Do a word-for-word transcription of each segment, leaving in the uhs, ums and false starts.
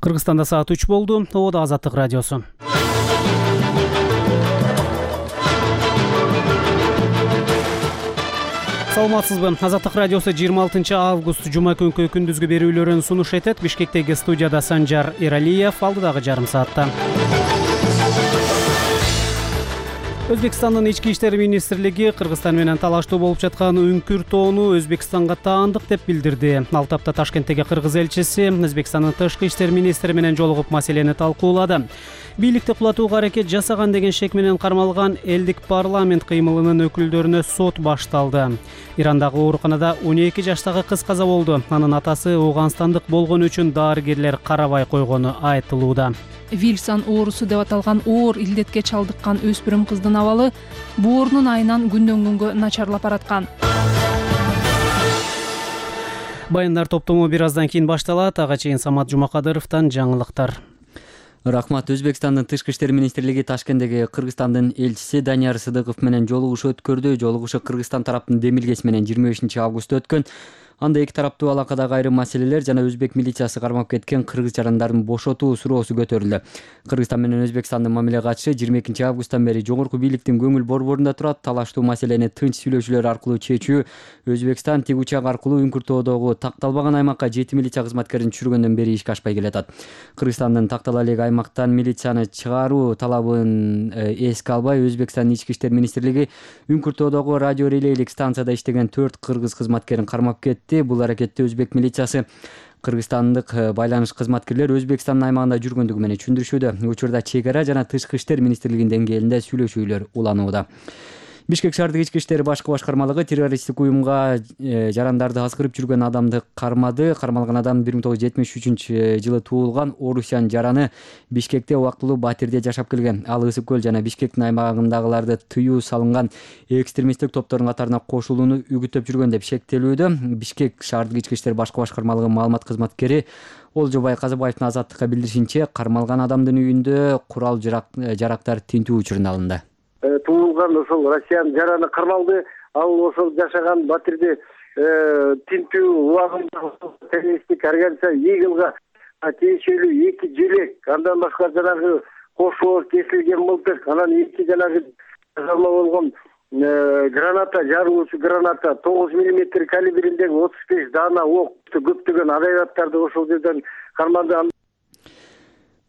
Кыргызстанда саат үч болду. Ободо Азаттык радиосу. Саламатсызбы? Азаттык радиосу жыйырма алтынчы август жума күнкү күндүзгү берүүлөрүн сунуш этет. Бишкектеги студияда Санжар Эралиев, алдыдагы жарым саатта. Өзбекстандын ички иштер министрлиги Кыргызстан менен талаштуу болуп жаткан үңкүр тоону Өзбекстанга таандык деп билдирди. Ал тапта Ташкенттеги кыргыз элчиси Өзбекстандын тышкы иштер министри менен жолугуп маселени талкуулады. Бийликти кулатууга аракет жасаган деген шек менен кармалган элдик парламент кыймылынын өкүлдөрүнө сот башталды. Ирандагы ооруканада он эки жаштагы кыз каза болду. Анын атасы Ооганстандык болгону үчүн дарыгерлер карабай койгону айтылууда. Вильсон оорусу деп аталган оор илдетке чалдыккан өспүрүм кыздын абалы боорунун айынан күндөн күнгө начарлап бараткан. Баяндар топтому бир аздан кийин башталат. Ага чейин Самат Жумакадыровдон жаңылыктар. Рахмат. Өзбекстандын тышкы иштер министрлиги Ташкенттеги Кыргызстандын элчиси Данияр Сыдыков менен жолугуш өткөрдү. Жолугушу Кыргызстан тараптын демилгеси менен жыйырма бешинчи августта өткөн. Анда эки тараптуу алакадагы айрым маселелер жана өзбек милициясы кармап кеткен кыргыз жарандарын бошотуу суроосу көтөрүлдү. Кыргызстан менен Өзбекстандын мамиле катышы жыйырма экинчи августтан бери жогорку бийликтин көңүл борборунда турат. Талаштуу маселени тынч сүйлөшүүлөр аркылуу чечүү Өзбекстан тик учак аркылуу үңкүр тоодогу такталбаган аймакка жети милиция кызматкерин түшүргөндөн бери ишке ашпай келатат. Кыргызстандын тактала элек аймактан милицияны чыгаруу талабын эске албай Өзбекстандын ички иштер министрлиги үңкүр тоодогу радио релейлик станцияда иштеген төрт кыргыз кызматкерин кармап кетти. Бул аракетти өзбек милициясы кыргызстандык байланыш кызматкерлер Өзбекстандын аймагында жүргөндүгү менен түшүндүрүшүүдө. Учурда чек ара жана тышкы иштер министрлигинин деңгээлинде сүйлөшүүлөр уланууда. Бишкек шаардык ички иштер башкы башкармалыгы террористтик уюмга жарандарды азгырып жүргөн адамды кармады. Кармалган адам бир миң тогуз жүз жетимиш үчүнчү жылы туулган Орусян жараны Бишкекте убактылуу батирде жашап келген. Ал Ысык көл жана Бишкектин аймагындагыларды тыюу салынган экстремисттик топтордун катарына кошулууну үгүттөп жүргөн деп шектелүүдө. Бишкек шаардык ички иштер башкы башкармалыгынын маалымат кызматкери Олжобай Казыбаевдин Азаттыкка билдиришинче, кармалган адамдын үйүндө курал жарактар тинтүү учурунда алынды. Туулган ошол Россиян жараны кармалды. Ал ошол жашаган батирде тинтүү убагында террористтик организация Игилга тиешелүү эки желек, андан башка жанагы кошоо кесилген мылтык, анан эки жанагы жазалма болгон граната, жарылуучу граната, тогуз миллиметр калибриндеги отуз беш даана ок, көптөгөн агрегаттарды ошол жерден кармады.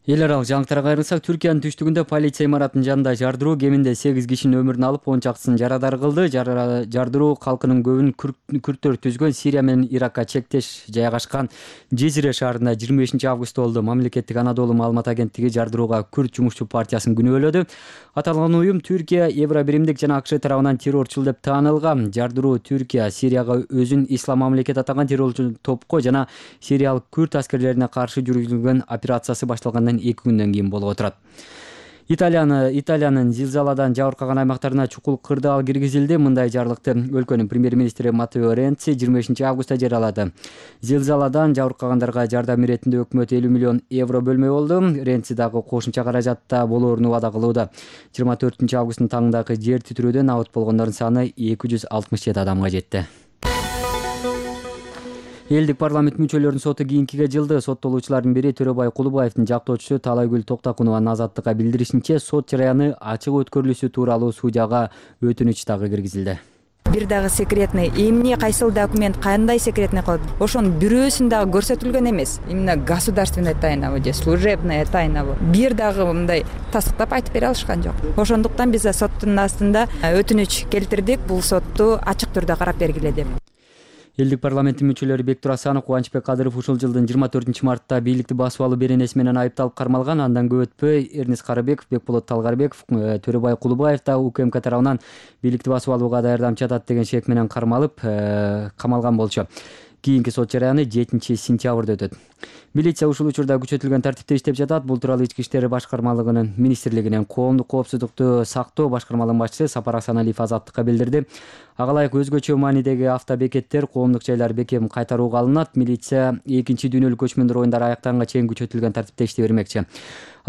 Эл аралык жаңылыктарга кайрылсак, Түркиянын түштүгүндө полиция имаратынын жанында жардыруу кеминде сегиз кишинин өмүрүн алып, он чактысын жарадар кылды. Жардыруу калкынын көбүн күрттөр түзгөн Сирия менен Иракка чектеш жайгашкан Жезире шаарында жыйырма бешинчи августта болду. Мамлекеттик Анадолу маалымат агенттиги жардырууга Күрд жумушчу партиясын күнөөлөдү. Аталган уюм Түркия, Евробиримдик жана АКШ тарабынан террорчул деп таанылган. Жардыруу Түркия Сирияга өзүн ислам мамлекет атаган террорчу топко жана сириялык күрд аскерлерине каршы жүргүзүлгөн операциясы башталгандан эки күндөн кийин болуп отурат. Италияны Италиянын зилзаладан жабыркаган аймактарына чукул кырдаал киргизилди. Мындай жарлыкты өлкөнүн премьер-министри Матео Ренци жыйырма бешинчи августта жарыялады. Зилзаладан жабыркагандарга жардам иретинде өкмөт элүү миллион евро бөлмөй болду. Ренци дагы кошумча каражатта болоорун убада кылууда. жыйырма төртүнчү августтун таңындагы жер титирөөдөн абут болгондордун саны эки жүз алтымыш жети адамга жетти. Элдик парламент мүчөлөрүнүн соту кийинкиге жылды. Соттолуучулардын бири Төрөбай Кулубаевдин жактоочусу Талайгүл Токтакунованын Азаттыкка билдиришинче, сот жараяны ачык өткөрүлүшү тууралуу судьяга өтүнүч дагы киргизилди. Бир дагы секретный, эмне кайсыл документ кандай секретный кылып, ошонун бирөөсүн дагы көрсөтүлгөн эмес. Именно государственная тайна же служебная тайна. Бир дагы мындай тастыктап айтып бере алышкан жок. Ошондуктан биз соттун астында өтүнүч келтирдик, бул сотту ачык түрдө карап бергиле деп. Элдик парламенттин мүчөлөрү Бектур Асанов, Кубанычбек Кадыров ушул жылдын жыйырма төртүнчү мартта бийликти басып алуу беренеси менен айыпталып кармалган. Андан көп өтпөй Эрнис Карыбеков, Бекболот Талгарбеков, Төрөбай Кулубаев да УКМК тарабынан бийликти басып алууга даярдамчы атат деген шек менен кармалып камалган болчу. Кийинки сот жараяны жетинчи сентябрда өтөт. Милиция ушул учурда күчөтүлгөн тартипте иштеп жатат. Бул тууралуу ички иштер башкармалыгынын министрлигинин коомдук коопсуздукту сактоо башкармалыгынын башчысы Сапар Асаналиев Азаттыкка билдирди. Ага ылайык өзгөчө маанидеги автобекеттер, коомдук жайлар бекем кайтарууга алынат. Милиция экинчи дүйнөлүк көчмөндөр оюндары аяктаганга чейин күчөтүлгөн тартипте иштей бермекчи.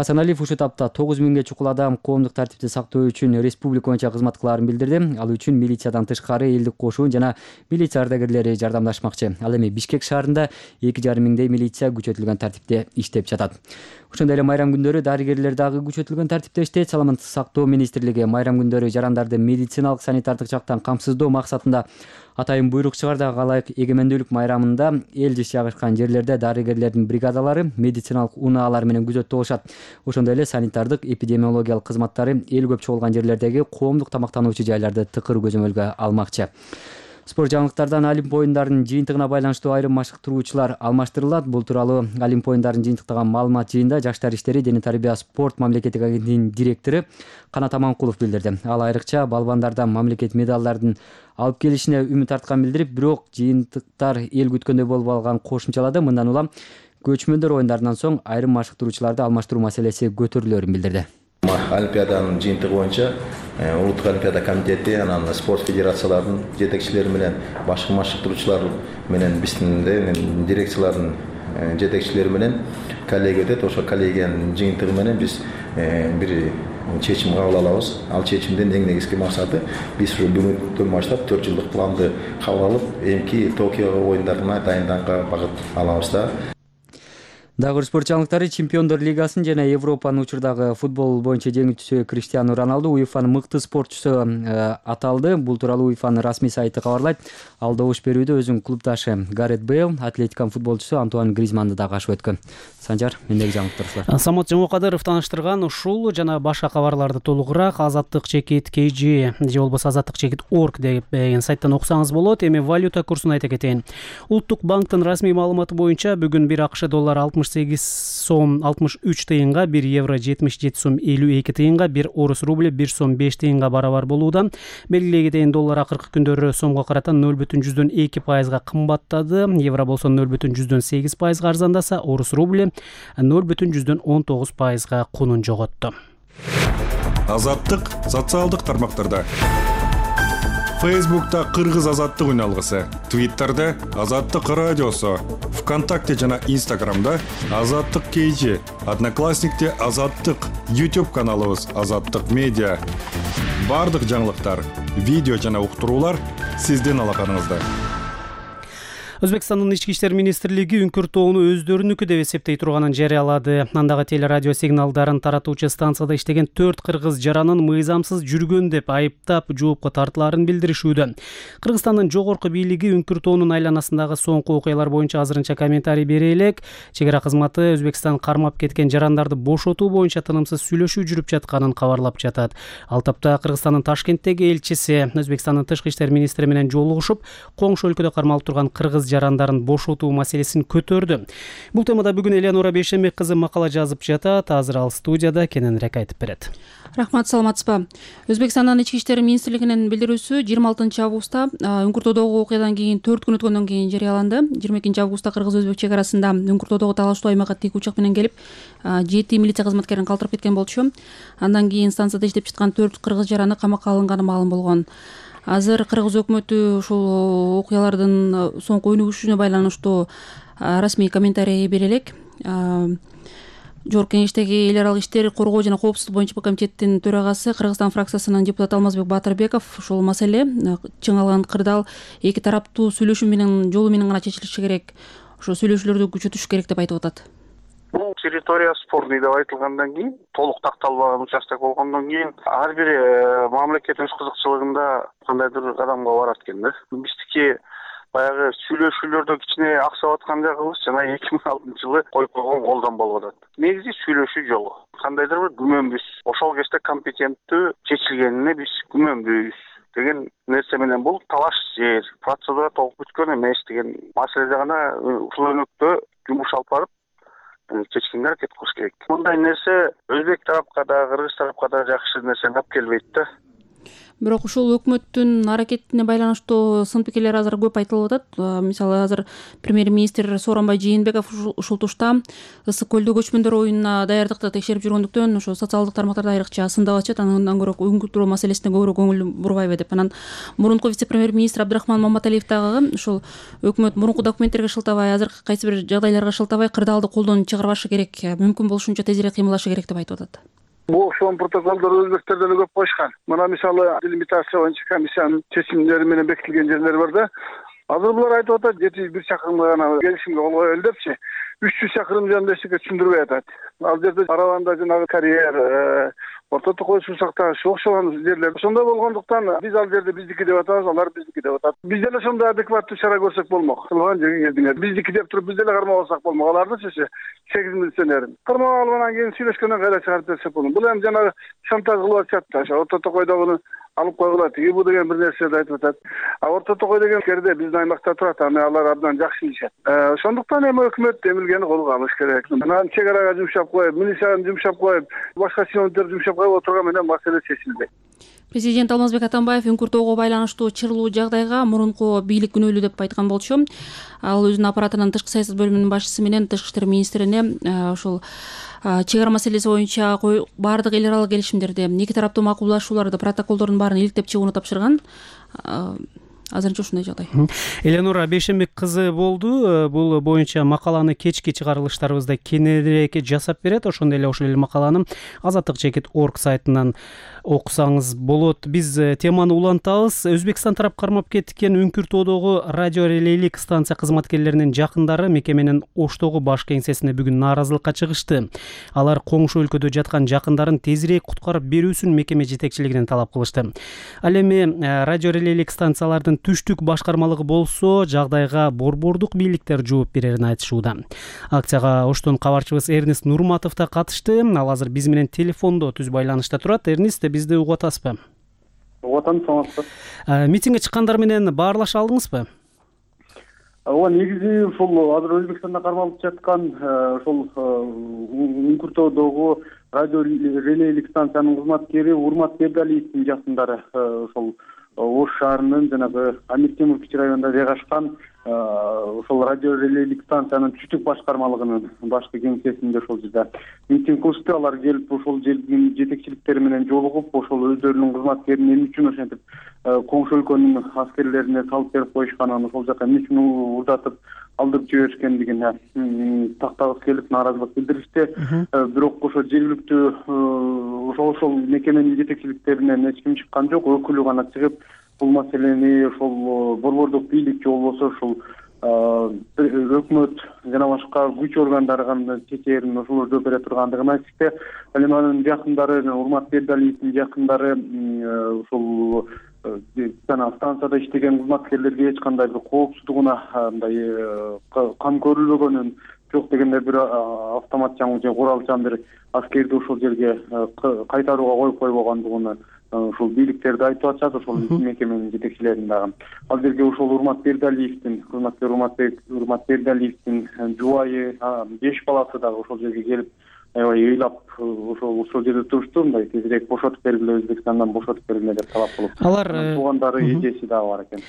Асаналиев ушул этапта тогуз миңге чукул адам коомдук тартипти сактоо үчүн республика боюнча кызмат кылаарын билдирди. Ал үчүн милициядан тышкары элдик кошун жана милиция ардагерлери жардамдашмакчы. Ал эми Бишкек шаарында эки жарым миңдей милиция күчөтүлгөн тартипте иштеп жатат. Ошондой эле майрам күндөрү дарыгерлер дагы күчөтүлгөн тартипте иштейт. Саламаттык сактоо министрлиги майрам күндөрү жарандарды медициналык санитардык жактан камсыздоо максатында атайын буйрук чыгарды. Ылайык эгемендүүлүк майрамында эл жыш жагышкан жерлерде дарыгерлердин бригадалары медициналык унаалар менен күзөттө болушат. Ошондой эле санитардык эпидемиологиялык кызматтары эл көп чогулган жерлердеги коомдук тамактануучу жайларды тыкыр көзөмөлгө алмакчы. Спорт жаңылыктардан Олимп оюндарынын жыйынтыгына байланыштуу айрым машыктыруучулар алмаштырылат. Бул тууралуу Олимп оюндарын жыйынтыктаган маалымат жыйында Жаштар иштери, дене тарбия, спорт мамлекеттик агенттигинин директору Канат Аманкулов билдирди. Ал айрыкча балбандардан мамлекет медалдардын алып келишине үмүт арткан билдирип, бирок жыйынтыктар эл күткөндөй болуп алган кошумчалады. Мындан улам көчмөндөр оюндарынан соң айрым машыктыруучуларды алмаштыруу маселеси көтөрүлөрүн билдирди. Олимпиаданын жыйынтыгы боюнча улуттук олимпиада комитети анан спорт федерацияларынын жетекчилери менен башка машыктыруучулар менен биздин дирекциялардын жетекчилери менен коллегия өтөт. Ошо коллегиянын жыйынтыгы менен биз бир чечим кабыл алабыз. Ал чечимдин эң негизги максаты биз бүгүнкүдөн баштап төрт жылдык планды кабыл алып, эмки Токио оюндарына дайынданганга багыт алабыз да. Дагы спорт жаңылыктары Чемпиондор лигасын жана Европанын учурдагы футбол боюнча жеңүүчүсү Криштиану Роналду УЕФАнын мыкты спортчусу аталды. Бул тууралуу УЕФАнын расмий сайты кабарлайт. Ал добуш берүүдө өзүнүн клубдашы Гарет Бейл, Атлетиканын футболчусу Антуан Гризманды да кашып өткөн. Санжар, мендеги жаңылыктар. Самат Жомокадыров тааныштырган ушул жана башка кабарларды толугураак азаттык чекит кей жи же болбосо азаттык чекит орг деген сайттан окусаңыз болот. Эми валюта курсун айта кетейин. Улуттук банктын расмий маалыматы боюнча бүгүн бир АКШ доллары алтымыш сегиз сом алтымыш үч тыйынга, бир евро жетимиш жети сом элүү эки тыйынга, бир орус рубль бир сом беш тыйынга барабар болууда. Белгилей кетейин, доллар акыркы күндөрү сомго карата ноль бүтүн жүздөн эки пайызга кымбаттады. Евро болсо ноль бүтүн жүздөн сегиз пайызга арзандаса, орус рубль ноль бүтүн жүздөн он тогуз пайызга кунун жоготту. Азаттык социалдык тармактарда. Фейсбукта Кыргыз азаттык үналгысы, Твиттерде Азаттык радиосу, ВКонтакте жана Инстаграмда Азаттык кей жи, Одноклассникте Азаттык, YouTube каналыбыз Азаттык медиа. Бардык жаңылыктар, видео жана уктуруулар сиздин алаканыңызда. Өзбекстандын ички иштер министрлиги Үңкүртоону өздөрүнүкү деп эсептей турганын жарыялады. Андагы телерадио сигналдарын таратуучу станцияда иштеген төрт кыргыз жаранын мыйзамсыз жүргөн деп айыптап жоопко тартылаарын билдиришүүдө. Кыргызстандын жогорку бийлиги Үңкүртоонун айланасындагы соңку окуялар боюнча азырынча комментарий бере элек. Чегара кызматы Өзбекстан кармап кеткен жарандарды бошотуу боюнча тынымсыз сүйлөшүү жүрүп жатканын кабарлап жатат. Ал тапта Кыргызстандын Ташкенттеги элчиси Өзбекстандын тышкы иштер министри менен жолугушуп, коңшу өлкөдө кармалып турган кыргыз жарандарын бошотуу маселесин көтөрдү. Бул темада бүгүн Элеонора Бейшембек кызы макала жазып жатат. Азыр ал студияда кененирээк айтып берет. Рахмат, саламатсызбы? Өзбекстандын ички иштер министрлигинин билдирүүсү жыйырма алтынчы августта Үңкүртоодогу окуядан кийин төрт күн өткөндөн кийин жарыяланды. жыйырма экинчи августта кыргыз-өзбек чек арасында Үңкүртоодогу талаштуу аймакка тик учак менен келип, жети милиция кызматкерин калтырып кеткен болчу. Андан кийин станцияда иштеп жаткан төрт кыргыз жараны камакка алынганы маалым болгон. Азыр кыргыз өкмөтү ушул окуялардын соңку өнүгүшүнө байланыштуу расмий комментарий бере элек. Жогорку кеңештеги эл аралык иштер, коргоо жана коопсуздук боюнча комитеттин төрагасы, Кыргызстан фракциясынын депутаты Алмазбек Батырбеков ушул маселе чың алган кырдаал эки тараптуу сүйлөшүү менен жолу менен гана чечилиши керек. Ошо сүйлөшүүлөрдү күчөтүш керек деп айтып атат. Бул территория спорный деп айтылгандан кийин, толук такталбаган участок болгондон кийин ар бир мамлекет өз кызыкчылыгында кандайдыр кадамга барат экен да. Биздики баягы сүйлөшүүлөрдө кичине аксап аткан жагыбыз жана эки миң алтынчы жылы коюп койгон колдон болуп атат. Негизи сүйлөшүү жолу. Кандайдыр бир күмөнбүз, ошол кезде компетенттүү чечилгенине биз күмөнбүз деген нерсе менен бул талаш жер, процедура толук бүткөн эмес деген маселеде гана ушул өнөктө жумуш алып барып чечкенге аракет кылыш керек. Мындай нерсе өзбек тарапка да, кыргыз тарапка да жакшы нерсени алып келбейт да. Бирок ушул өкмөттүн аракетине байланыштуу сын пикирлер азыр көп айтылып атат. Мисалы азыр премьер-министр Сооронбай Жээнбеков ушул тушта ысык көлдө көчмөндөр оюнуна даярдыкты текшерип жүргөндүктөн ошо социалдык тармактарда айрыкча сындап атышат. Андан көрө үңкүртүү маселесине көбүрөөк көңүл бурбайбы деп. Анан мурунку вице-премьер-министр Абдрахман Маматалиев дагы ушул өкмөт мурунку документтерге шылтабай, азыркы кайсы бир жагдайларга шылтабай кырдаалды колдон чыгарбашы керек, мүмкүн болушунча тезирээк кыймылдашы керек деп айтып атат. Бул окшогон протоколдор өзбектерде эле көп коюшкан. Мына мисалы делимитация боюнча комиссиянын чечимдери менен бекитилген жерлер бар да. Азыр булар айтып атат жети жүз бир чакырымга гана келишимге кол коелу депчи. үч жүз чакырым жөнүндө эчтеке түшүндүрбөй атат. Ал жерде Араванда жанагы карьер, Орто Токой Сусакта окшогон жерлер. Ошондой болгондуктан биз ал жерде биздики деп атабыз, алар биздики деп атат. Биз деле ошондой адекваттуу чара көрсөк болмок. Кылган жерге келдиңер. Биздики деп туруп биз деле кармап алсак болмок. Алардычы сегиз милиционерин. Кармап алгандан кийин сүйлөшкөндөн кайра чыгарып берсек болот. Бул эми жанагы шантаж кылып атышат да. Ошо Орто Токойдогуну алып койгула, тиги бу деген бир нерселерди айтып атат. А Орто Токой деген жерде биздин аймакта турат, аны алар абдан жакшы билишет. Ошондуктан эми өкмөт эмилгени колго алыш керек. Анан чек арага жумшап коюп, милицияны жумшап коюп, башка чиновниктерди жумшап коюп отурган менен маселе чечилбейт. Президент Алмазбек Атамбаев үңкүртөөгө байланыштуу чырлуу жагдайга мурунку бийлик күнөөлүү деп айткан болчу. Ал өзүнүн аппаратынын тышкы саясат бөлүмүнүн башчысы менен тышкы иштер министрине ушул чек ара маселеси боюнча баардык эл аралык келишимдерди, эки тараптуу макулдашууларды, протоколдордун баарын иликтеп чыгууну тапшырган. Азырынча ушундай жагдай. Эленура Бейшенбек кызы болду. Бул боюнча макаланы кечки чыгарылыштарыбызда кененирээк жасап берет. Ошондой эле ошол эле макаланы азаттык чекит точка орг сайтынан окусаңыз болот. Биз теманы улантабыз. Өзбекстан тарап кармап кеткен үңкүртөөдөгү радио релейлик станция кызматкерлеринин жакындары мекеменин Оштогу баш кеңсесине бүгүн нааразылыкка чыгышты. Алар коңшу өлкөдө жаткан жакындарын тезирээк куткарып берүүсүн мекеме жетекчилигинен талап кылышты. Ал эми радио релейлик станциялардын түштүк башкармалыгы болсо жагдайга борбордук бийликтер жооп берерин айтышууда. Акцияга Оштон кабарчыбыз Эрнест Нурматов да катышты. Ал азыр биз менен телефондо түз байланышта турат. Эрнест, бизди угуп атасызбы? Угуп атам, саламатсызбы? Митингге чыккандар менен баарлаша алдыңызбы? Ооба, негизи ушул азыр Өзбекстанда кармалып жаткан ошол үңкүртөөдөгү радио релейлик станциянын кызматкери Урмат Бердалиевдин жакындары ошол Ош шаарынын жанагы Амир Темур кичи районунда жайгашкан ошол радио релейлик станциянын түштүк башкармалыгынын башкы кеңсесинде ошол жерде митинг кылышты. Алар келип ошол жердин жетекчиликтери менен жолугуп, ошол өздөрүнүн кызматкерин эмне үчүн ошентип коңшу өлкөнүн аскерлерине салып берип коюшканын, ошол жака эмне үчүн урдатып алдырып жиберишкендигин тактагысы келип нааразылык билдиришти. Бирок ошо жергиликтүү ошол ошол мекеменин жетекчиликтеринен эч ким чыккан жок. Өкүлү гана чыгып бул маселени ошол борбордук бийлик же болбосо ушул өкмөт жана башка күч органдары кандай чечээрин ошолор жооп бере тургандыгын айтышты. Ал эми анын жакындары, Урмат Бердалиевдин жакындары ушул жана станцияда иштеген кызматкерлерге эч кандай бир коопсуздугуна мындай кам көрүлбөгөнүн, жок дегенде бир автоматчан же куралчан бир аскерди ошол жерге кайтарууга коюп койбогондугуну ушул бийликтерди айтып атышат, ошол мекеменин жетекчилерин дагы. Ал жерге ушол Урмат Бердалиевдин, кызматкер Урмат Бердалиевдин жубайы, беш баласы дагы ошол жерге келип, аябай ыйлап ошол ошол жерде турушту, мындай тезирээк бошотуп бергиле, Өзбекстандан бошотуп бергиле деп талап кылып. Алар туугандары, эжеси дагы бар экен.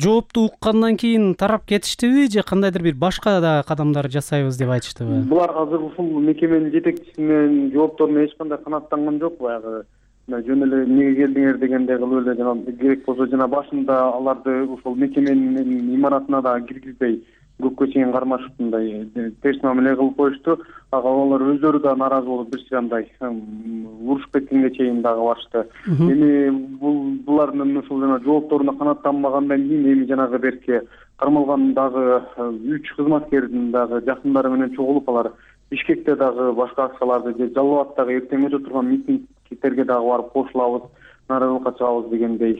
Жоопту уккандан кийин тарап кетиштиби же кандайдыр бир башка да кадамдар жасайбыз деп айтыштыбы? Булар азыр ушул мекеменин жетекчисинин жоопторуна эч кандай канааттанган жок. Баягы жөн эле эмнеге келдиңер дегендей кылып эле жана керек болсо жана башында аларды ушул мекеменин имаратына да киргизбей көпкө чейин кармашып мындай терс мамиле кылып коюшту. Ага алар өздөрү да нааразы болуп бир сыйрамдай урушуп кеткенге чейин дагы барышты. Эми бул булардын ушул жана жоопторуна канааттанбагандан кийин эми жанагы берки кармалган дагы үч кызматкердин дагы жакындары менен чогулуп алар Бишкекте дагы башка акцияларды же Жалал абаддагы эртең өтө турган митингтерге дагы барып кошулабыз, нааразылыкка чыгабыз дегендей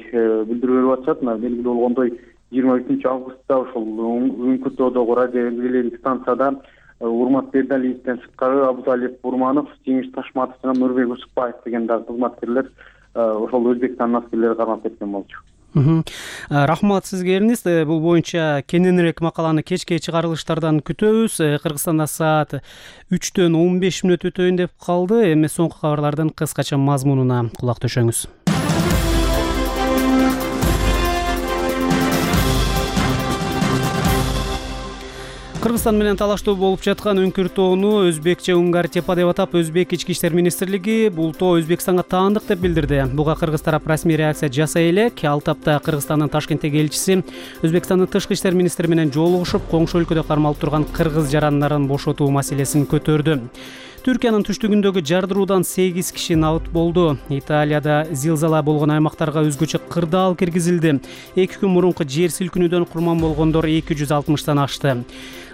билдирүү берип атышат. Белгилүү болгондой жыйырма үчүнчү августта ошол үңкүртөөдөгү радио релейлик станцияда Урмат Бердалиевден сырткары Абуталиев Бурманов, Жеңиш Ташматов жана Нурбек Усукбаев деген дагы кызматкерлер ошол Өзбекстандын аскерлери кармап кеткен болчу. Рахмат сизге, Эрнест. Бул боюнча кененирээк макаланы кечки чыгарылыштардан күтөбүз. Кыргызстанда саат үчтөн он беш мүнөт өтөйүн деп калды. Эми соңку кабарлардын кыскача мазмунуна кулак төшөңүз. Кыргызстан менен талаштуу болуп жаткан Үңкүр тоону өзбекче Унгар тепа деп атап, Өзбек ички иштер министрлиги бул тоо Өзбекстанга таандык деп билдирди. Буга кыргыз тарап расмий реакция жасай элек, ал тапта Кыргызстандын Ташкенттеги элчиси Өзбекстандын тышкы иштер министри менен жолугушуп, коңшу өлкөдө кармалып турган кыргыз жарандарын бошотуу маселесин көтөрдү. Түркиянын түштүгүндөгү жардыруудан сегиз киши набыт болду. Италияда зилзала болгон аймактарга өзгөчө кырдаал киргизилди. эки күн мурунку жер силкинүүдөн курман болгондор эки жүз алтымыштан ашты.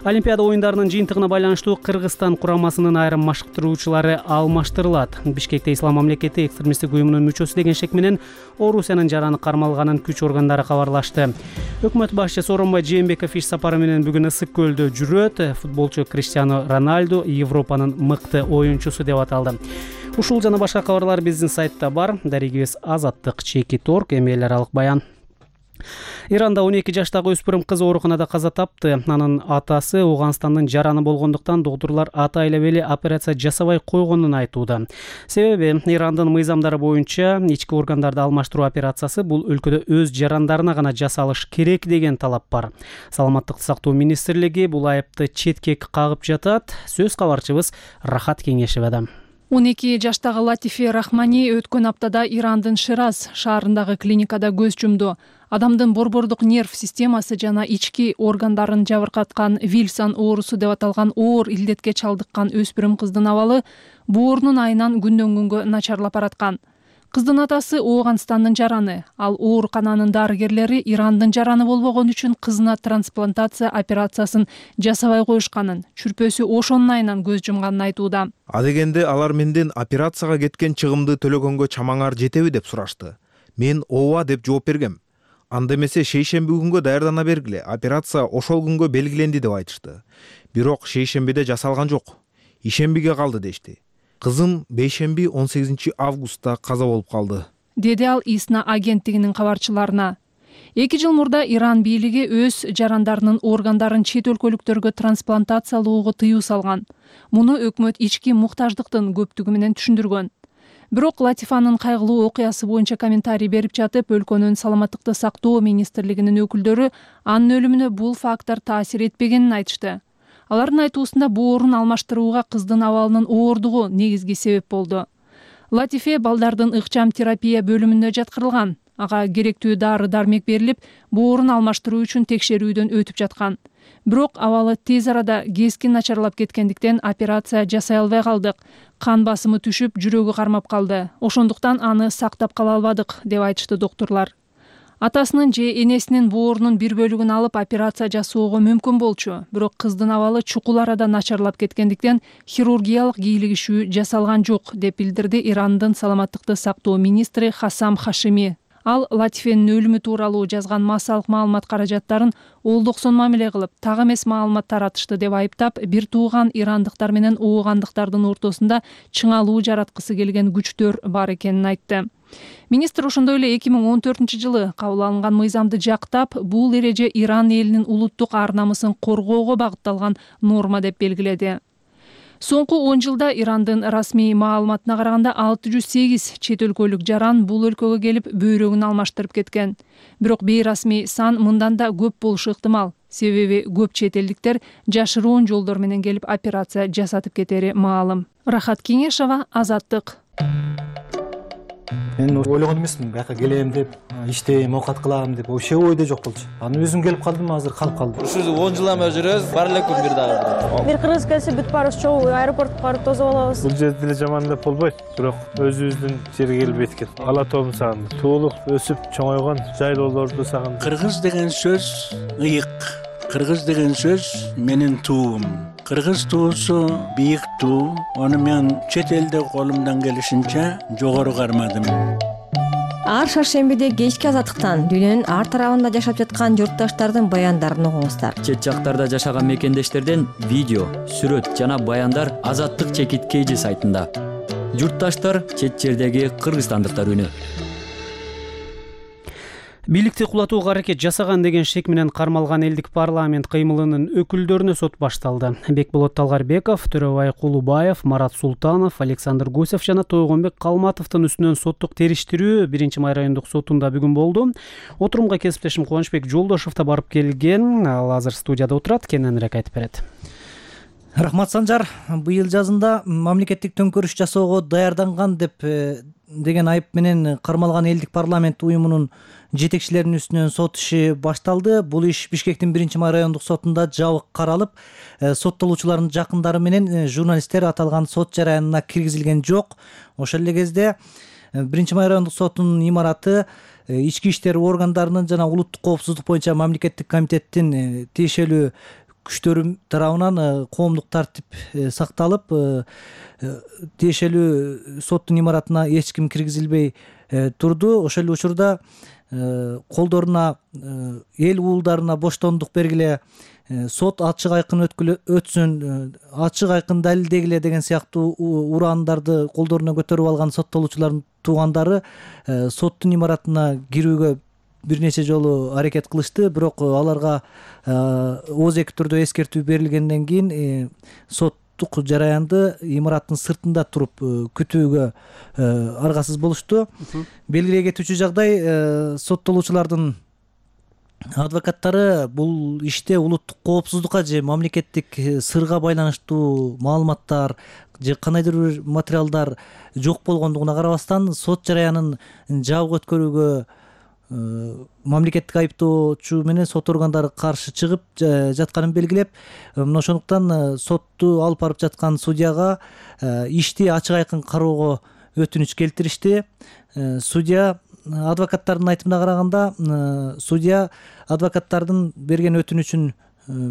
Олимпиада оюндарынын жыйынтыгына байланыштуу Кыргызстан курамасынын айрым машыктыруучулары алмаштырылат. Бишкекте Ислам мамлекети экстремисттик уюмунун мүчөсү деген шек менен Орусиянын жараны кармалганын күч органдары кабарлашты. Өкмөт башчысы Сооронбай Жээнбеков иш сапары менен бүгүн Ысык көлдө жүрөт. Футболчу Криштиано Роналду Европанын мыкты оюнчусу деп аталды. Ушул жана башка кабарлар биздин сайтта бар. Дарегибиз Азаттык чеки торг, эми эл аралык баян. Иранда он эки жаштагы өспүрүм кыз ооруканада каза тапты. Анын атасы Ооганстандын жараны болгондуктан доктурлар ата айлап эле операция жасабай койгонун айтууда. Себеби Ирандын мыйзамдары боюнча ички органдарды алмаштыруу операциясы бул өлкөдө өз жарандарына гана жасалыш керек деген талап бар. Саламаттыкты сактоо министрлиги бул айыпты четке кагып жатат. Сөз кабарчыбыз Рахат Кеңешева. он эки жаштагы Латифе Рахмани өткөн аптада Ирандын Шираз шаарындагы клиникада көз жумду. Адамдын борбордук нерв системасы жана ички органдарын жабыркаткан Вильсон оорусу деп аталган оор илдетке чалдыккан өспүрүм кыздын абалы боорунун айынан күндөн күнгө начарлап бараткан. Кыздын атасы Ооганстандын жараны, ал оорукананын дарыгерлери Ирандын жараны болбогон үчүн кызына трансплантация операциясын жасабай коюшканын, чүрпөсү ошонун айынан көз жумганын айтууда. Адегенде алар менден операцияга кеткен чыгымды төлөгөнгө чамаңар жетеби деп сурашты. Мен ооба деп жооп бергем. Анда эмесе шейшемби күнгө даярдана бергиле, операция ошол күнгө белгиленди деп айтышты. Бирок шейшембиде жасалган жок. Ишембиге калды дешти. Кызым бейшемби он сегизинчи августта каза болуп калды, деди ал ИСНА агенттигинин кабарчыларына. Эки жыл мурда Иран бийлиги өз жарандарынын органдарын чет өлкөлүктөргө трансплантациялоого тыюу салган. Муну өкмөт ички муктаждыктын көптүгү менен түшүндүргөн. Бирок Латифанын кайгылуу окуясы боюнча комментарий берип жатып, өлкөнүн саламаттыкты сактоо министрлигинин өкүлдөрү анын өлүмүнө бул фактор таасир этпегенин айтышты. Алардын айтуусунда боорун алмаштырууга кыздын абалынын оордугу негизги себеп болду. Латифе балдардын ыкчам терапия бөлүмүнө жаткырылган. Ага керектүү дары дармек берилип, боорун алмаштыруу үчүн текшерүүдөн өтүп жаткан. Бирок абалы тез арада кескин начарлап кеткендиктен операция жасай албай калдык. Кан басымы түшүп, жүрөгү кармап калды. Ошондуктан аны сактап кала албадык деп айтышты доктурлар. Атасынын же энесинин боорунун бир бөлүгүн алып операция жасоого мүмкүн болчу, бирок кыздын абалы чукул арада начарлап кеткендиктен хирургиялык кийлигишүү жасалган жок деп билдирди Ирандын саламаттыкты сактоо министри Хасам Хашими. Ал Латифенин өлүмү тууралуу жазган массалык маалымат каражаттарын олдоксон мамиле кылып, так эмес маалымат таратышты деп айыптап, бир тууган ирандыктар менен оогандыктардын ортосунда чыңалуу жараткысы келген күчтөр бар экенин айтты. Министр ошондой эле эки миң он төртүнчү жылы кабыл алынган мыйзамды жактап, бул эреже Иран элинин улуттук ар намысын коргоого багытталган норма деп белгиледи. Соңку он жылда Ирандын расмий маалыматына караганда алты жүз сегиз чет өлкөлүк жаран бул өлкөгө келип бөйрөгүн алмаштырып кеткен. Бирок бейрасмий сан мындан да көп болушу ыктымал. Себеби көп чет элдиктер жашыруун жолдор менен келип операция жасатып кетери маалым. Рахат Кеңешева, Азаттык. Мен ойлогон эмесмин, бияка келем деп, иштейм, оокат кылам деп, вообще ойдо жок болчу. Анан өзүм келип калдым, азыр калып калдым. Ушул он жылдан бери жүрөбүз, бар эле күн бир дагы. Бир кыргыз келсе бүт баарыбыз чогуу аэропортко барып тосуп алабыз. Бул жерде деле жаман деп болбойт, бирок өзүбүздүн жерге келип эткен. Ала тоом сагын, туулуп, өсүп, чоңойгон жайлоолорду сагын. Кыргыз деген сөз ыйык. Кыргыз деген сөз менин туум. Кыргыз туусу бийик туу, аны мен чет элде колумдан келишинче жогору кармадым. Ар шаршембиде кечки азаттыктан дүйнөнүн ар тарабында жашап жаткан журтташтардын баяндарын угуңуздар. Чет жактарда жашаган мекендештерден видео, сүрөт жана баяндар Азаттык чекит кей жи сайтында. Журтташтар чет жердеги кыргызстандыктар үнү. Бийликти кулатууга аракет жасаган деген шек менен кармалган элдик парламент кыймылынын өкүлдөрүнө сот башталды. Бекболот Талгарбеков, Төрөбай Кулубаев, Марат Султанов, Александр Гусев жана Тойгонбек Калматовдун үстүнөн соттук териштирүү биринчи май райондук сотунда бүгүн болду. Отурумга кесиптешим Кубанычбек Жолдошов да барып келген. Ал азыр студияда отурат, кененирээк айтып берет. Рахмат Санжар. Быйыл жазында мамлекеттик төңкөрүш жасоого даярданган деп деген айып менен кармалган элдик парламент уюмунун жетекчилеринин үстүнөн сот иши башталды. Бул иш Бишкектин биринчи май райондук сотунда жабык каралып, соттолуучулардын жакындары менен журналисттер аталган сот жараянына киргизилген жок. Ошол эле кезде биринчи май райондук сотунун имараты ички иштер органдарынын жана улуттук коопсуздук боюнча мамлекеттик комитеттин тиешелүү күчтөрү тарабынан коомдук тартип сакталып, тиешелүү соттун имаратына эч ким киргизилбей турду. Ошол эле учурда колдоруна эл уулдарына боштондук бергиле, сот ачык айкын өтсүн, ачык айкын далилдегиле деген сыяктуу ураандарды колдоруна көтөрүп алган соттолуучулардын туугандары соттун имаратына кирүүгө бир нече жолу аракет кылышты, бирок аларга ооз эки түрдө эскертүү берилгенден кийин соттук жараянды имараттын сыртында туруп күтүүгө аргасыз болушту. Белгилей кетүүчү жагдай, соттолуучулардын адвокаттары бул иште улуттук коопсуздукка же мамлекеттик сырга байланыштуу маалыматтар же кандайдыр бир материалдар жок болгондугуна карабастан сот жараянын жабык өткөрүүгө мамлекеттик айыптоочу менен сот органдары каршы чыгып жатканын белгилеп, мына ошондуктан сотту алып барып жаткан судьяга ишти ачык айкын кароого өтүнүч келтиришти. Судья адвокаттардын айтымына караганда, судья адвокаттардын берген өтүнүчүн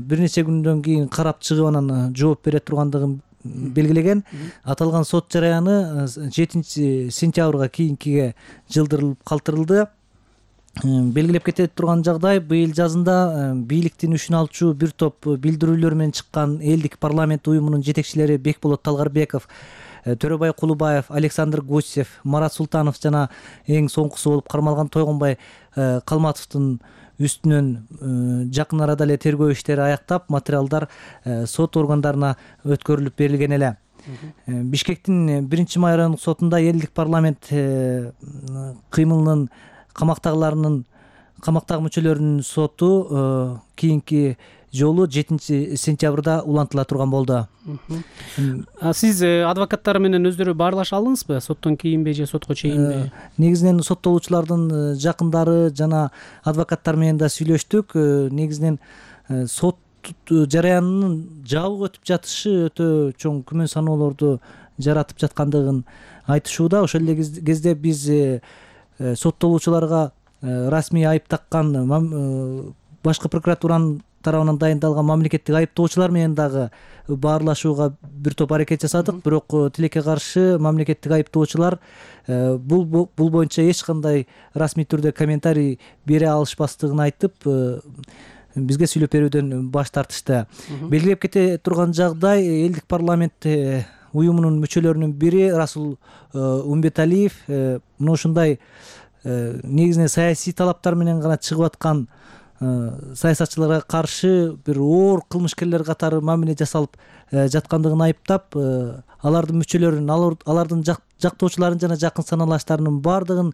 бир нече күндөн кийин карап чыгып анан жооп бере тургандыгын белгилеген. Аталган сот жараяны жетинчи сентябрга кийинкиге жылдырылып калтырылды. Белгилеп кете турган жагдай, быйыл жазында бийликтин үчүн алчу бир топ билдирүүлөр менен чыккан элдик парламент уюмунун жетекчилери Бекболот Талгарбеков, Төрөбай Кулубаев, Александр Гусев, Марат Султанов жана эң соңкусу болуп кармалган Тойгонбай Калматовдун үстүнөн жакын арада эле тергөө иштери аяктап, материалдар сот органдарына өткөрүлүп берилген эле. Бишкектин биринчи май райондук сотунда элдик парламент кыймылынын камактагыларынын камактагы мүчөлөрүнүн соту кийинки жолу жетинчи сентябрда улантыла турган болду. Сиз адвокаттар менен өздөрү баарлаша алдыңызбы? Соттон кийинби же сотко чейинби? Негизинен соттолуучулардын жакындары жана адвокаттар менен да сүйлөштүк. Негизинен сот жараянынын жабык өтүп жатышы өтө чоң күмөн саноолорду жаратып жаткандыгын айтышууда. Ошол эле кезде биз соттолуучуларга расмий айып таккан башкы прокуратуранын тарабынан дайындалган мамлекеттик айыптоочулар менен дагы баарлашууга бир топ аракет жасадык, бирок тилекке каршы мамлекеттик айыптоочулар бул бул боюнча эч кандай расмий түрдө комментарий бере алышпастыгын айтып, бизге сүйлөп берүүдөн баш тартышты. Белгилеп кете турган жагдай, элдик парламент уюмунун мүчөлөрүнүн бири Расул Умбеталиев мына ушундай негизинен саясий талаптар менен гана чыгып аткан саясатчыларга каршы бир оор кылмышкерлер катары мамиле жасалып жаткандыгын айыптап, алардын мүчөлөрүн, алардын жактоочуларын жана жакын саналаштарынын баардыгын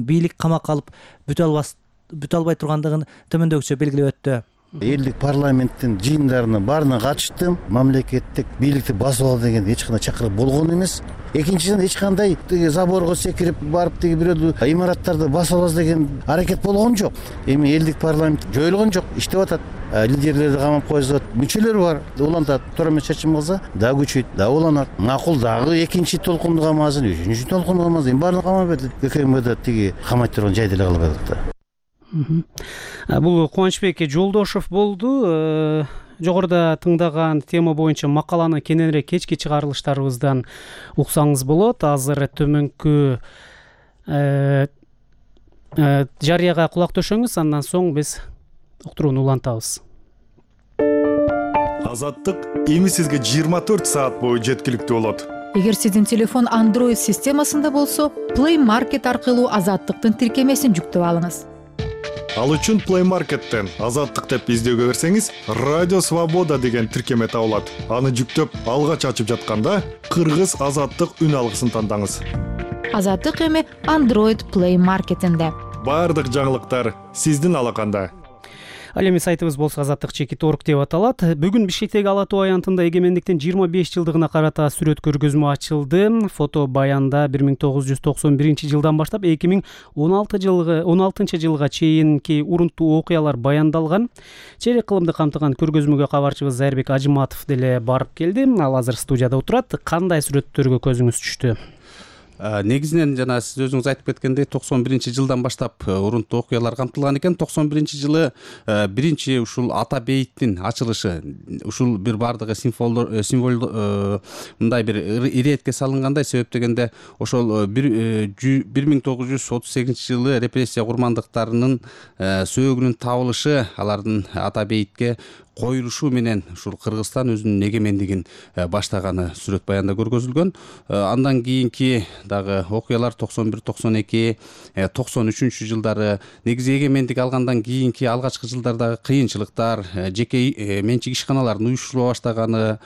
бийлик камакка алып бүтө албай тургандыгын төмөндөгүчө белгилеп өттү. Элдик парламенттин жыйындарына баарына катыштым. Мамлекеттик бийликти басып ал деген эч кандай чакырык болгон эмес. Экинчиден эч кандай заборго секирип барып тиги бирөө имараттарды басып алабыз деген аракет болгон жок. Эми элдик парламент жоюлгон жок, иштеп атат. Лидерлерди камап коюшат, мүчөлөр бар, улантат. Туура эмес чечим кылса, дагы күчөйт, дагы уланат. Макул дагы экинчи толкунду камасын, үчүнчү толкунду камасын, баарын камап берди. ККМда тиги камайт турган жай деле калбай атат. Бул Кубанычбек Жолдошов болду. Жогоруда тыңдаган тема боюнча макаланы кененирээк кечки чыгарылыштарыбыздан уксаңыз болот. Азыр төмөнкү жарыяга кулак төшөңүз, андан соң биз уктурууну улантабыз. Азаттык эми сизге жыйырма төрт саат бою жеткиликтүү болот. Эгер сиздин телефон Android системасында болсо, Play Market аркылуу Азаттыктын тиркемесин жүктөп алыңыз. Ал үчүн Play Market'тен Азаттык деп издөөгө берсеңиз, Радио Свобода деген тиркеме табылат. Аны жүктөп, алгач ачып жатканда кыргыз Азаттык үн алгысын тандаңыз. Азаттык эми Android Play Market'инде. Бардык жаңылыктар сиздин алаканда. Ал эми сайтыбыз болсо азаттык чекит точка орг деп аталат. Бүгүн Бишкектеги Ала Тоо аянтында эгемендиктин жыйырма беш жылдыгына карата сүрөт көргөзмө ачылды. Фото баянда бир миң тогуз жүз токсон биринчи жылдан баштап эки миң он алтынчы жылга чейинки урунттуу окуялар баяндалган. Чейрек кылымды камтыган көргөзмөгө кабарчыбыз Зайырбек Ажыматов деле барып келди. Ал азыр студияда отурат. Кандай сүрөттөргө көзүңүз түштү? Негизинен жана сиз өзүңүз айтып кеткендей токсон биринчи жылдан баштап урунттуу окуялар камтылган экен. токсон биринчи жылы биринчи ушул ата бейиттин ачылышы, ушул бир бардыгы символ символ мындай бир иретке салынгандай, себеп дегенде ошол бир миң тогуз жүз отуз сегизинчи жылы репрессия курмандыктарынын сөөгүнүн табылышы, алардын ата бейитке коюлушу менен ушул Кыргызстан өзүнүн эгемендигин баштаганы сүрөт баянда көргөзүлгөн. Андан кийинки дагы окуялар токсон бир токсон эки токсон үчүнчү жылдары, негизи эгемендик алгандан кийинки алгачкы жылдардагы кыйынчылыктар, жеке менчик ишканалардын уюштурула баштаганы,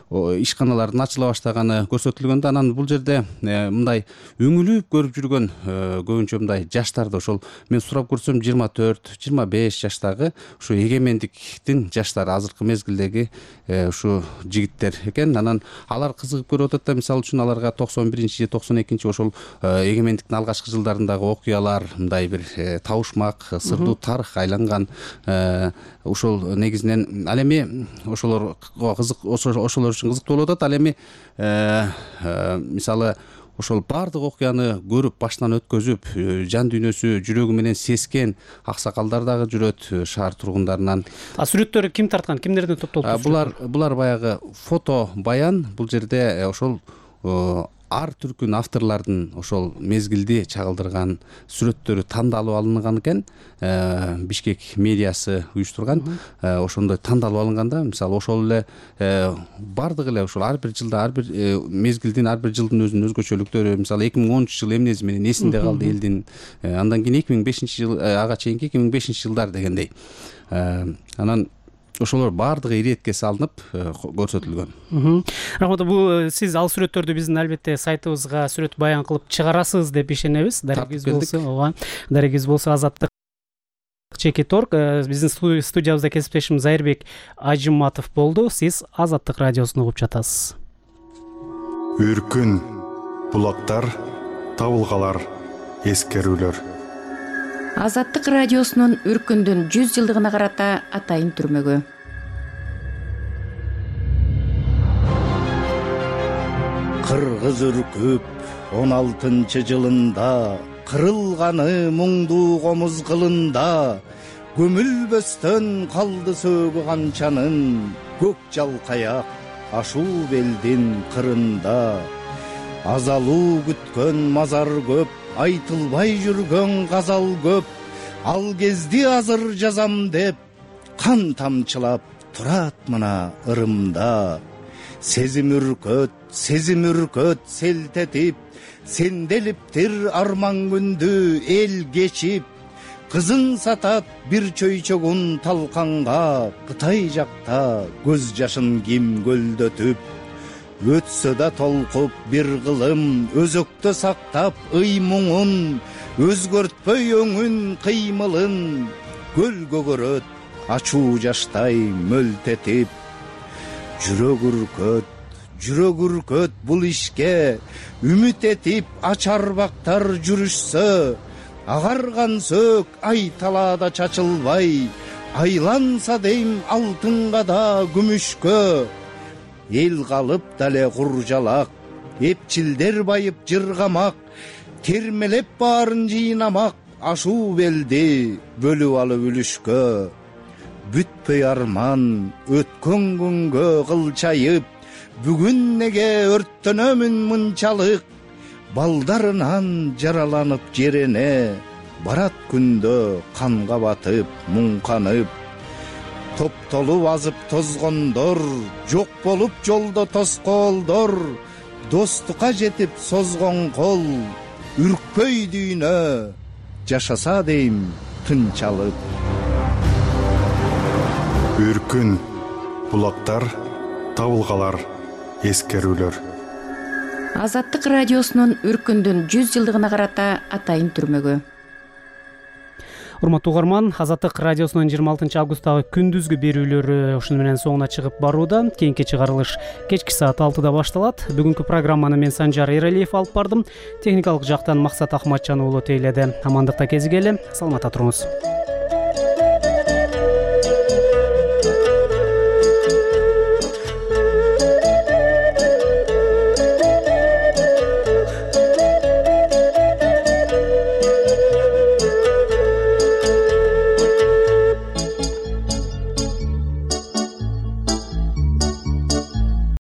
ишканалардын ачыла баштаганы көрсөтүлгөндө, анан бул жерде мындай өңүлүп көрүп жүргөн көбүнчө мындай жаштарды, ошол мен сурап көрсөм жыйырма төрт жыйырма беш жаштагы ушу эгемендиктин жаштары, азыркы мезгилдеги ушу жигиттер экен. Анан алар кызыгып көрүп атат да, мисалы үчүн аларга токсон биринчи токсон экинчи ошол эгемендиктин алгачкы жылдарындагы окуялар мындай бир табышмак, сырдуу тарых айланган. Ошол негизинен ал эми ошолор кызык, ошолор үчүн кызыктуу болуп атат. Ал эми мисалы ошол бардык окуяны көрүп, баштан өткөзүп, жан дүйнөсү, жүрөгү менен сескен аксакалдар дагы жүрөт шаар тургундарынан. А сүрөттөрү ким тарткан, кимдерден топтолуп? Булар булар баягы фото баян. Бул жерде ошол ар түркүн авторлордун ошол мезгилди чагылдырган сүрөттөрү тандалып алынган экен. Бишкек медиасы уюштурган. Ошондой тандалып алынганда, мисалы ошол эле бардыгы эле ошол ар бир жылда, ар бир мезгилдин, ар бир жылдын өзүнүн өзгөчөлүктөрү, мисалы эки миң онунчу жыл эмнеси менен эсинде калды элдин. Андан кийин эки миң бешинчи жыл, ага чейинки эки миң бешинчи жылдар дегендей. Анан ошолор бардыгы иретке салынып көрсөтүлгөн. Рахмат. Бул сиз ал сүрөттөрдү биздин албетте сайтыбызга сүрөт баян кылып чыгарасыз деп ишенебиз. Дарегиз болсо, ооба. Дарегиз болсо азаттык чекит точка орг. Биздин студиябызда кесиптешим Зайырбек Ажыматов болду. Сиз Азаттык радиосун угуп жатасыз. Үркүн, булактар, табылгалар, эскерүүлөр. Азаттык радиосунун Үркүндүн жүз жылдыгына карата атайын түрмөгү. Кыргыз үркүп он алтынчы жылында, кырылганы муңдуу комуз кылында, көмүлбөстөн калды сөөгү канчанын, көк жалкаяк ашуу белдин кырында. Азалуу күткөн мазар көп, айтылбай жүргөн газал көп, ал кезди азыр жазам деп, кан тамчылап турат мына ырымда. Сезим үркөт, сезим үркөт селтетип, сенделиптир арман күндү эл кечип, кызын сатат бир чөйчөгүн талканга, Кытай жакта көз жашын ким көлдөтүп. Өтсө да толкуп бир кылым, өзөктө сактап ый муңун, өзгөртпөй өңүн кыймылын, көл көгөрөт ачуу жаштай мөлтетип. Жүрөк үркөт, жүрөк үркөт бул ишке, үмүт этип ачар бактар жүрүшсө, агарган сөк ай талаада чачылбай, айланса дейм алтынга да күмүшкө. Эл калып дале куржалак, эпчилдер байып жыргамак, термелеп баарын жыйнамак, ашуу белди бөлүп алып үлүшкө. Бүтпөй арман өткөн күнгө кылчайып, бүгүн неге өрттөнөмүн мынчалык, балдарынан жараланып жерене, барат күндө канга батып муңканып. Топтолуп азып тозгондор, жок болуп жолдо тоскоолдор, достукка жетип созгон кол, үркпөй дүйнө жашаса дейм тынчалык. Үркүн, булактар, табылгалар, эскерүүлөр. Азаттык радиосунун Үркүндүн жүз жылдыгына карата атайын түрмөгү. Урматтуу угарман, Азаттык радиосунун жыйырма алтынчы августтагы күндүзгү берүүлөрү ушуну менен соңуна чыгып барууда. Кийинки чыгарылыш кечки саат алтыда башталат. Бүгүнкү программаны мен Санжар Эралиев алып бардым. Техникалык жактан Максат Ахматжан уулу тейледи. Амандыкта кезигели, саламатта туруңуз.